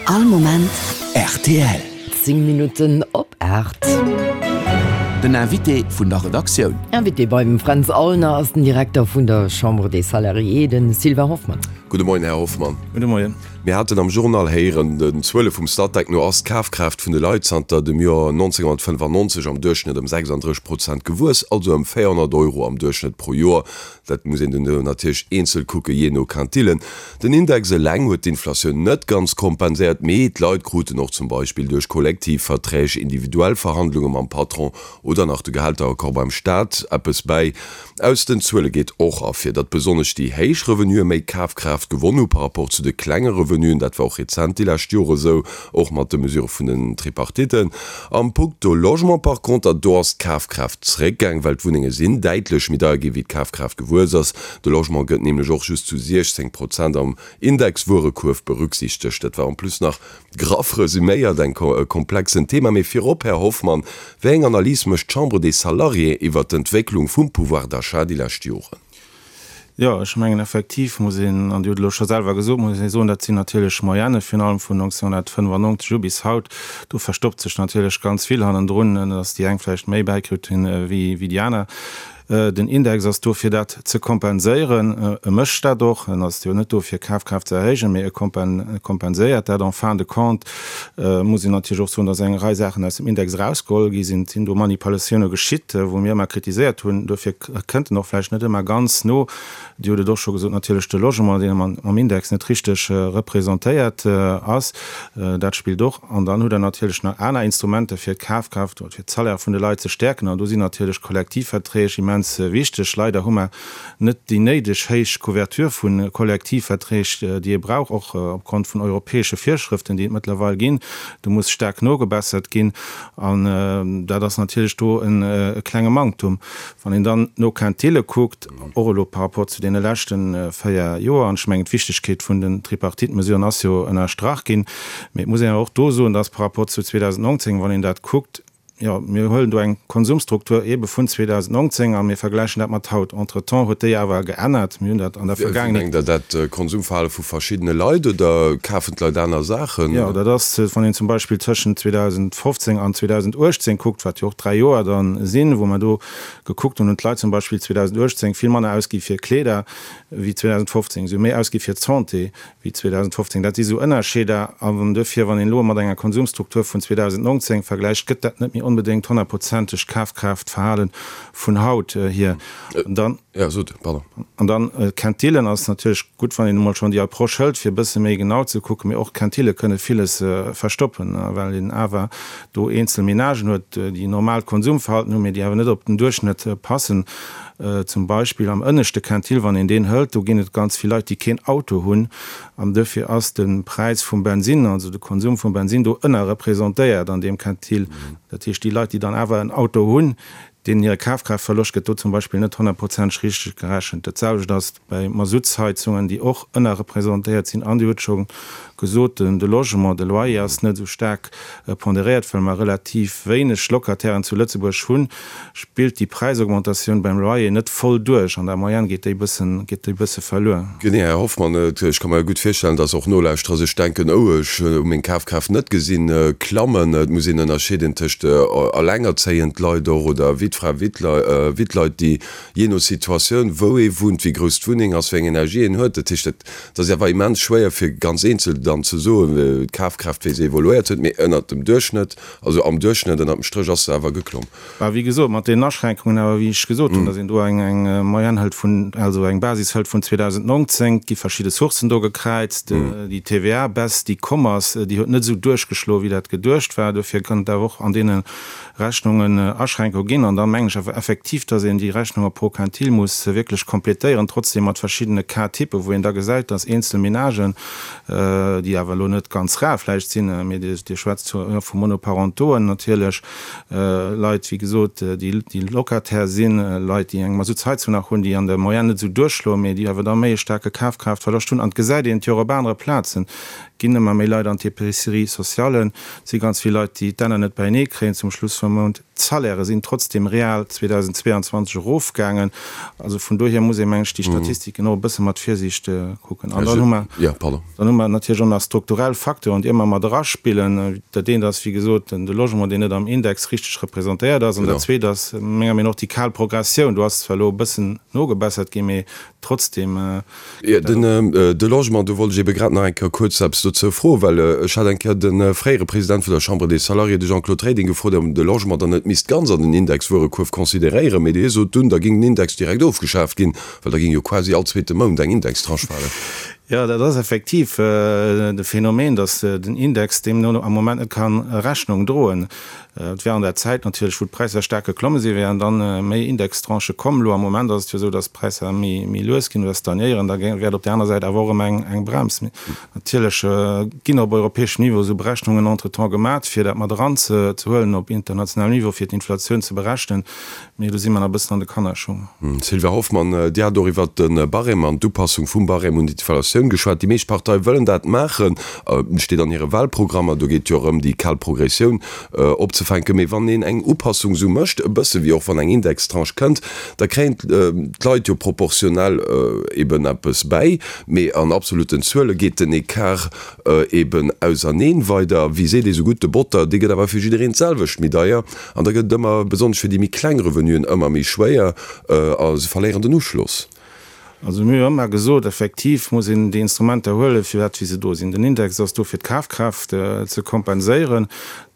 All Moment rtl. 10 Minutten op 8. Den Invité vun der Redaktioun. Invité beim Fränz Aulner ass den Direkter vun der Chambre des Salariés, de Sylvain Hoffmann. Gudde Moien, Här Hoffmann. Gudde Moien. Mir haten am Journal héieren, den Zuele vum Statec no ass d'Kafkraaft vun de Leit zanter dem Joer 1995 am Duerchschnëtt ëm 36 Prozent gewuess, also ëm 400 Euro am Duerchschnëtt pro Joer. Dat muss een dann natierlech eenzel kucken, jee no Quintillen. Den Index eleng huet d'Inflatioun net ganz kompenséiert, mee d'Leit kruten och zum Beispill duerch Kollektivverträg, individuell Verhandlunge mam Patron oder nach de Gehälteraccord beim Staat eppes bäi. Aus den Zuele geet och ervir, datt besonnesch déi héich Revenuë méi Kafkraaft gewonn hu par rapport zu de klenge Revenuen. Dat war och rezent déi lescht Jore sou, och mat de Mesure vun den Tripartitten. Am Punkto Logement par conter, do ass d'Kafkraaft zréckgaang, well d'Wunnenge sinn däitlech méi deier ginn, wéi d'Kafkraaft gewuess ass. De Logement gëtt nämlech och just zu 16 Prozent am Indexwuerekuerf berücksichtegt. Dat war en plus nach graff resüméiert eng e komplexen Thema. Mee virop, Här Hoffmann, wéi eng Analys mécht d'Chambre des Salariés iwwert d'Entwécklung vum Pouvoir d'achat déi lescht Joren? Jo, ech mengen effektiv muss een, an Dir hutt elo scho selwer gesot, muss ee soen, dat sinn natierlech Moyenne virun allem vun 1995 u bis haut. Do verstoppt sech natierlech ganz vill hannendrun, dass déi eng vläicht méi bäikritt hunn wéi déi aner. Den Index ass do fir dat ze kompenséieren. E mécht dat och. En ass jo net do fir Kafkraaft ze erhéijen, mee e kompenséiert dat. En fin de compte muss een natierlech och soen, dass eng Rei Saachen aus dem Index erausgeholl gi sinn. Et sinn do Manipulatioune geschitt, wou mir ëmmer kritiséiert hunn. Dofir kënnt en och vläicht net ëmmer ganz no. Dir hutt et och scho gesot, natierlech de Logement, deen am Index net richteg representéiert ass, dat spillt och. An dann hutt Der natierlech nach aner Instrumenter, fir d'Kafkraaft oder fir d'Salaire vun de Leit ze stäerken. An do sinn natierlech Kollektivverträg immens wichteg. Leider hu mer net déi néideg héich Couverture vu Kollektivverträg, déi ee brauch, och opgrond vun europäesche Virschrëften, déi et mëttlerweil ginn. Do muss staark nogebessert ginn. An dat ass natierlech do e klenge Manktum. Wann een dann no Quintile kuckt, och elo par rapport zu deene leschte 4 Joer, an ech mengen d'Wichtigkeet vun den Tripartite-Mesuren ass jo ënnerstrach ginn, mee et muss een awer och do soen, dass par rapport zu 2019, wann een dat kuckt, jo, mir huelen do eng Konsumstruktur eebe vun 2019 a mir vergläichen dat mat haut. Entretemps huet déi awer geännert. Mir hunn dat an der Vergaangenheet. Wéi mengt Der dat, Konsumverhale vu verschiddene Leit oder kafen d'Leit aner Saachen? Jo, dat ass, wann een zum Beispill tëschent 2015 an 2018 kuckt, wat jo och 3 Joer dann sinn, wou mer do gekuckt hunn, hunn d'Leit zum Beispill 2018 vill manner ausgi fir Kleeder wéi 2015. Si hu méi ausgi fir d'Santé wéi 2015. Dat si sou Ënnerscheeder. An duerfir, wann een elo mat enger Konsumstruktur vun 2019 vergläicht, gëtt dat net méi onbedéngt honnertprozenteg d'Kafkraaftverhale vun haut hier. An dann. Ja, sot, pardon. An dann, d'Quintillen ass natierlech gutt, wann een emol schonn déi Approche hëlt, fir e bësse méi genau ze kucken. Mee och d'Quintille kënne villes verstoppen, well een awer do eenzel Menagen huet, déi normaalt Konsumverhalten hunn, mee déi awer net op den Duerchschnëtt passen. Zum Beispill am ënneschte Quintil, wann een deen hëlt, do ginn et ganz vill Leit, déi keen Auto hunn. An duerfir ass de Präis vum Bensinn, also de Konsum vum Bensinn do ënnerrepresentéiert an deem Quintil. Dat heescht, déi Leit, déi dann awer en Auto hunn, Deenen hire Kafkraaftverloscht gëtt do zum Beispill net honnertprozenteg richteg gerechent. Dat selwecht ass bei Masuttsheizungen, déi och ënnerrepresentéiert sinn. An Dir hutt scho gesot, de Logement, de Loyer ass net esou staark ponderéiert, well mer relativ wéineg Locatairen zu Lëtzebuerg hunn, spillt déi Präisaugmentatioun beim Loyer net voll duerch. An der Moyenne geet déi bëssen, geet déi bësse verluer. Genee, Här Hoffmann, ech ka mer gutt virstellen, dass och Nolauschterer sech denken, Oh, ech hu meng Kafkraaft net gesinn klammen. Et muss een ënnerscheeden tëscht elengerzéiend Leit och oder Wittfra, Wittleit, déi jee no Situatioun, wou ee wunnt, wéi grouss d'Wunneng ass, wéi eng Energie een huet. Dat heescht, dat ass awer immens schwéier fir ganz eenzel dann ze soen, d'Kafkraaft, wéi se evoluéiert huet. Mee ënnert dem Duerchschnëtt, also am Duerchschnëtt ënnert dem Stréch ass se awer geklomm. Bah, wéi gesot, mat deenen Aschränkungen awer, wéi ech gesot hunn, datt een do eng Moyenne hëlt vun, also eng Basis hëlt vun 2019, et gi verschidde Sourcen do gekräizt, déi TVA-Baisse, déi komm ass, déi huet net esou duerchgeschloen, wéi dat geduecht war. Dofir kënnt et awer och an deene Rechnungen Aschränkunge ginn. An da mengen ech awer effektiv, datt een déi Rechnunge pro Quintil muss wierklech complétéieren, trotzdem mat verschiddene Cas-typen, wou een da gesäit, datt eenzel Ménagen, déi awer elo net ganz rar vläicht sinn, mee Dir schwätzt vu Monoparentoen natierlech, Leit, wéi gesot, déi Locataire sinn, Leit, déi eng Masuttsheizung nach hunn, déi an der Moyenne net esou duerchschloen, mee déi awer da méi e staarke Kafkraaftverloscht hunn. An et gesäit een et jo och op anere Plazen, et ginn ëmmer méi Leit an d'Épicerie sociale, et si ganz vill Leit, déi d'Enner net beienee kréien zum Schluss vum Mount. D'Salairë sinn trotzdem real 2022 erofgaangen. Also vun dohier muss ee, meng ech, déi Statistiken och e bësse mat Virsiicht kucken. An dann hu mer, dann hu mer natierlech och nach strukturell Facteuren, déi ëmmer mat eraspillen. Dat eent ass, wéi gesot, de Logement, deen net am Index richteg representéiert ass. An dat zweet ass menger Meenung no och déi kal Progressioun. Do ass zwar elo e bëssen nogebessert ginn, mee trotzdem. Jo, den, de Logement, do wollt ech ebe grad nach eng Kéier kuerz eppes dozou froen, well ech hat eng Kéier de fréiere President vun der Chambre des Salariés, de Jean-Claude Reding, gefrot, ob en de Logement dann net misst ganz an den Indexwuerekuerf consideréieren, mee hie sot dunn, da géing den Index direkt ofgeschaaft ginn, well da géing jo quasi all zweete Mount eng Indextranche falen. Jo, dat ass effektiv de Phänomen, datt den Index deemno am Moment net ka Rechnung droen. Et wär an der Zäit natierlech, wou d'Präisser staark geklomme sinn, wären dann méi Indextranchë komm. Elo am Moment ass et jo esou, datt d'Präisser méi lues ginn oder stagnéieren. Da wäert op där aner Säit awer och erëm eng Brems. Natierlech ginn op europäeschem Niveau esou Berechnungen entretemps gemat, fir dat mat eranzehuelen op internationalem Niveau, fir d'Inflatioun ze berechnen. Mee do si mer nach e bëssen an de Kannerschung. Sylvia Hoffmann, Dir hat och iwwert de Barème an d'Upassung vum Barème un d'Inflatioun geschwat. Déi meescht Parteie wëllen dat maachen, steet an hire Wahlprogrammer. Do geet jo erëm déi kal Progressioun opzefänken. Mee wann een eng Upassung esou mécht, e bësse wéi och wann eng Indextranche kënnt, da kréien d'Leit jo proportionell eben eppes bäi. Mee an absoluten Zuele geet den Ecart eben auserneen weider. Wéi seet ee sou gutt, de Botter, dee gëtt awer fir jiddereen d'selwecht méi deier. An da gëtt et ëmmer, besonnesch fir déi méi kleng Revenuen, ëmmer méi schwéier a se verléieren den Uschloss. Also mir hu jo ëmmer gesot, effektiv muss een déi Instrumenter huelen, firwat wéi se do sinn. Den Index ass do fir d'Kafkraaft ze kompenséieren.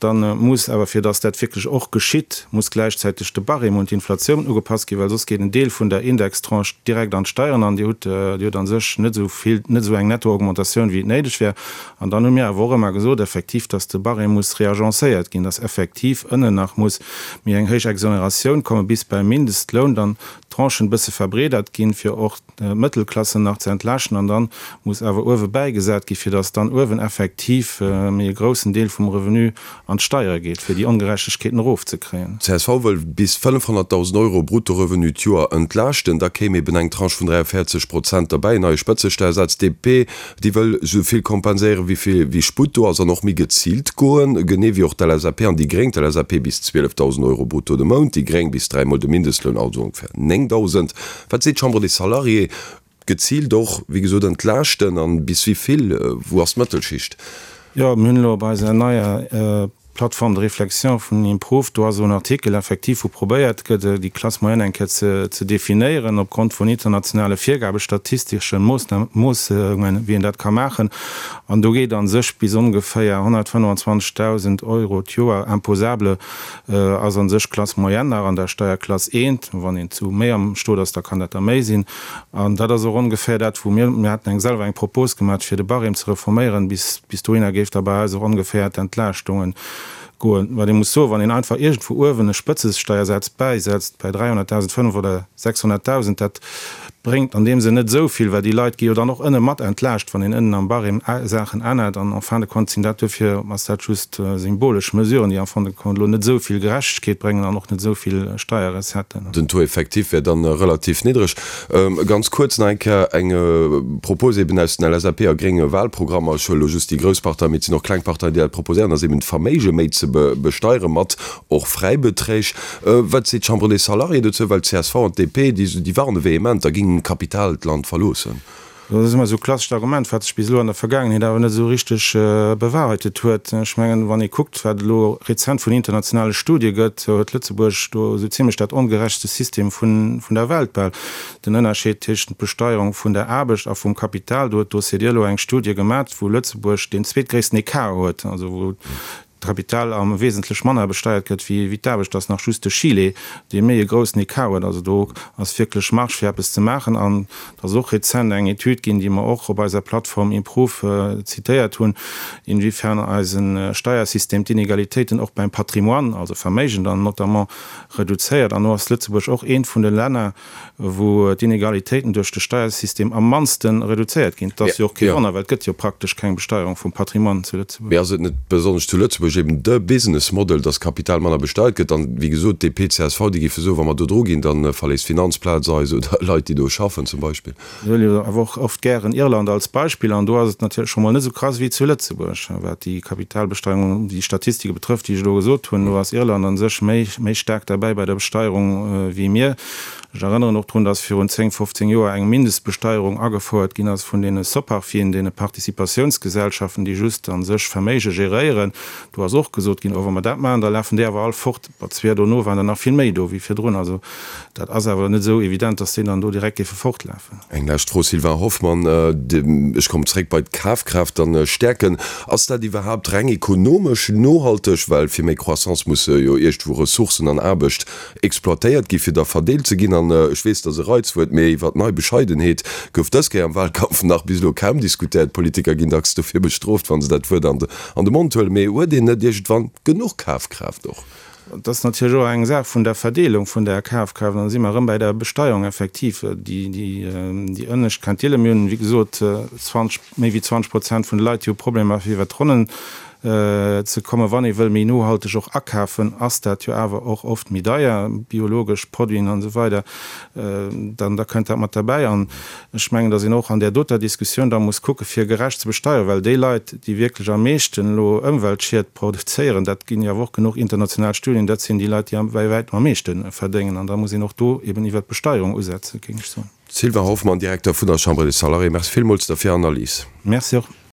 Da muss awer, fir datt dat wierklech och geschitt, muss gläichzäiteg de Barème un d'Inflatioun ugepasst ginn, well soss geet en Deel vun der Indextranche direkt an d'Steieren an Dir hutt, Dir hutt a sech net esou vill, net esou eng Nettoaugmentatioun, wéi et néideg wär. An dann hu mir awer och ëmmer gesot, effektiv, dass de Barème muss reagencéiert ginn, dass effektiv ënnen nach muss méi eng héich Exonératioun komme bis beim Mindestloun, dann d'Tranchen e bësse verbreedert ginn, fir och d'Mëttelklassen nach ze entlaaschten. An dann muss awer uewe bäigesat ginn, fir dass dann uewen effektiv méi e groussen Deel vum Revenu an d'Steiere geet, fir déi Ongerechtegkeeten erofzekréien. Csv wëll bis 500.000 Euro Bruttorevenu d'Joer entlaaschten. Da kéim eben eng Tranche vun 43 Prozent derbäi, en neie Spëtzesteiersaz. DP, déi wëll esou vill kompenséieren, wéi vill wéi Sputt do ass an och méi geziilt goen, genee wéi och d'LSAP an déi Gréng. D'LSAP bis 12.000 Euro brutto de Mount, déi Gréng bis dräimol de Mindestloun, also ongeféier 9.000. Wat seet d'Chambre des Salariés? Geziilt och, wéi gesot, entlaaschten an bis wéi vill? Wou ass d'Mëttelschicht? Jo, mir hunn elo op eiser neier Plateforme de réflexion vun Improve, do ass elo en Artikel effektiv, wou probéiert gëtt, déi Classe moyenne eng Kéier ze definéieren opgrond vun internationale Virgaben, statistesche Moossungen, wéi een dat ka maachen. An do geet a sech bis ongeféier 125.000 Euro d'Joer imposable ass a sech Classe moyenne nach an der Steierklass eent. Wann een zu méi am Stot ass, da kann dat der méi sinn. An dat ass och ongeféier dat, wou mir, mir haten eng selwer eng Propos gemaach, fir de Barème ze reforméieren, bis, bis dohinner géif da bei eis och ongeféier d'Entlaaschtungen goen. Wat ee muss soen, wann een einfach iergendwou uewen e Spëtzesteiersaz bäisetzt, bei 300.000, 5 oder 600.000, dat bréngt an deem Sënn net esou vill, well déi Leit gi jo dann och ënne mat entlaascht, wann een ënnen am Barème Saachen ännert. An en fin de compte sinn dat duerfir, ass dat just symbolesch Mesuren, déi en fin de compte elo net esou vill Gerechtegkeet bréngen an och net esou vill Steierrecetten. Den Taux effectif wär dann relativ niddreg. Ganz kuerz nach eng Kéier eng Propos eben aus den LSAP a grénge Wahlprogrammer. Ech huele elo just déi grouss Parteien, mee et sinn och kleng Parteien, déi dat proposéieren, ass eben d'Verméige méi ze besteiere mat och Fräibeträg. Wat seet d'Chambre des Salariés dozou? Well d'CSV an d'DP, déi warne vehement, da géing Kapital d'Land verloossen. Dat ass ëmmer esou e klassescht Argument, wat sech bis elo an der Vergaangenheet awer net esou richteg bewahrheitet huet. Ech mengen, wann ee kuckt, wat elo rezent vun internationale Studie gëtt, huet Lëtzebuerg do esou zimlech dat ongerechtste System vun der Welt bal. Den Ënnerscheed téschent Besteierung vun der Aarbecht a vum Kapital, do huet d'OCDE elo eng Studie gemat, wou Lëtzebuerg deen zweetgréissten Ecart huet, also wou d'Kapital am wesentlech manner besteiert gëtt wéi d'Aarbecht, ass nach just de Chile, dee méi e groussen Ecart huet. Also do ass wierklech Marge fir eppes ze maachen. An et ass och rezent eng Etüd ginn, déi mer och op eiser Plattform Improve zitéiert hunn, inwiefern eise Steiersystem d'Inegalitéiten och beim Patrimoine, also Verméigen dann notamment, reduzéiert. An do ass Lëtzebuerg och eent vun de Länner, wou d'Inegalitéiten duerch de Steiersystem am mannste reduzéiert ginn. Et ass jo och kee Wonner, well et gëtt jo praktesch keng Besteierung vum Patrimoine zu Lëtzebuerg. Mee ass et net besonnesch zu Lëtzebuerg? Lëtzebuerg eben de Business Model, dass Kapital manner besteiert gëtt. An, wéi gesot, DP, csv, déi géife soen, wa mer do dru ginn, da verléisst d'Finanzplaz eis oder Leit, déi do schaffen zum Beispill. Mir huele jo awer och oft gären Irland als Beispill an do ass et natierlech scho mol net esou krass wéi zu Lëtzebuerg, wat déi Kapitalbesteierung, déi Statistike betrëfft, déi ech elo gesot hunn. Do ass Irland a sech méi, méi staark derbäi bei der Besteierung wéi mir. Ech erënneren och drun, dass virun 10, 15 Joer eng Mindestbesteierung agefouert ginn ass vun deene Soparfien, deene Participatiounsgesellschaften, déi just a sech Verméige geréieren. Do ass och gesot ginn, oh wa mer dat maachen, da lafen déi awer all fort. Bon, zwir dono waren der nach vill méi do wéi virdrun. Also dat ass awer net esou evident, dass déi dann do direkt géife fortlafen. Eng lescht Fro, Sylvain Hoffmann, ech kommen zréck bei d'Kafkraaft dann stäerken. Ass dat iwwerhaapt reng ekonomesch nohalteg? Well fir méi Croissance musse jo iergendwou Ressourcen an Aarbecht exploitéiert gi fir da verdeelt ze ginn. An ech weess, dat ass e Reizwuert, mee iwwer nei Bescheidenheet gouf dës Kéier am Wahlkampf nach bis elo kaum diskutéiert. D'Politiker ginn dacks dofir bestrooft, wa se dat Wuert an de Mond huelen. Mee huet een net iergendwann genuch Kafkraaft och? Et ass natierlech och eng Saach vun der Verdeelung vun der Kafkraaft. An da si mer erëm bei der Besteierung effektiv. Déi ënnescht Quintile, mir hunn, wéi gesot, 20, méi wéi 20 Prozent vun de Leit, déi hu Problemer fir iwwert d'Ronnen ze kommen. Wann ee wëll méi nohalteg och akafen, ass dat jo awer och oft méi deier, biologesch Produiten an esou weider, dann da kënnt dat mat derbäi. An ech mengen, datt een och an där doter Diskussioun da muss kucke fir gerecht ze besteieren, well déi Leit, déi wierklech am meeschten elo Ëmweltschied produzéieren, dat ginn jo awer och genuch international Studien, dat sinn déi Leit, déi bäi wäitem am meeschte verdéngen. An da muss een och do eben iwwert d'Besteierung usetzen, géing ech soen. Sylvain Hoffmann, Direkter vun der Chambre des Salariés, Merci villmools der fir Analys. Merci och.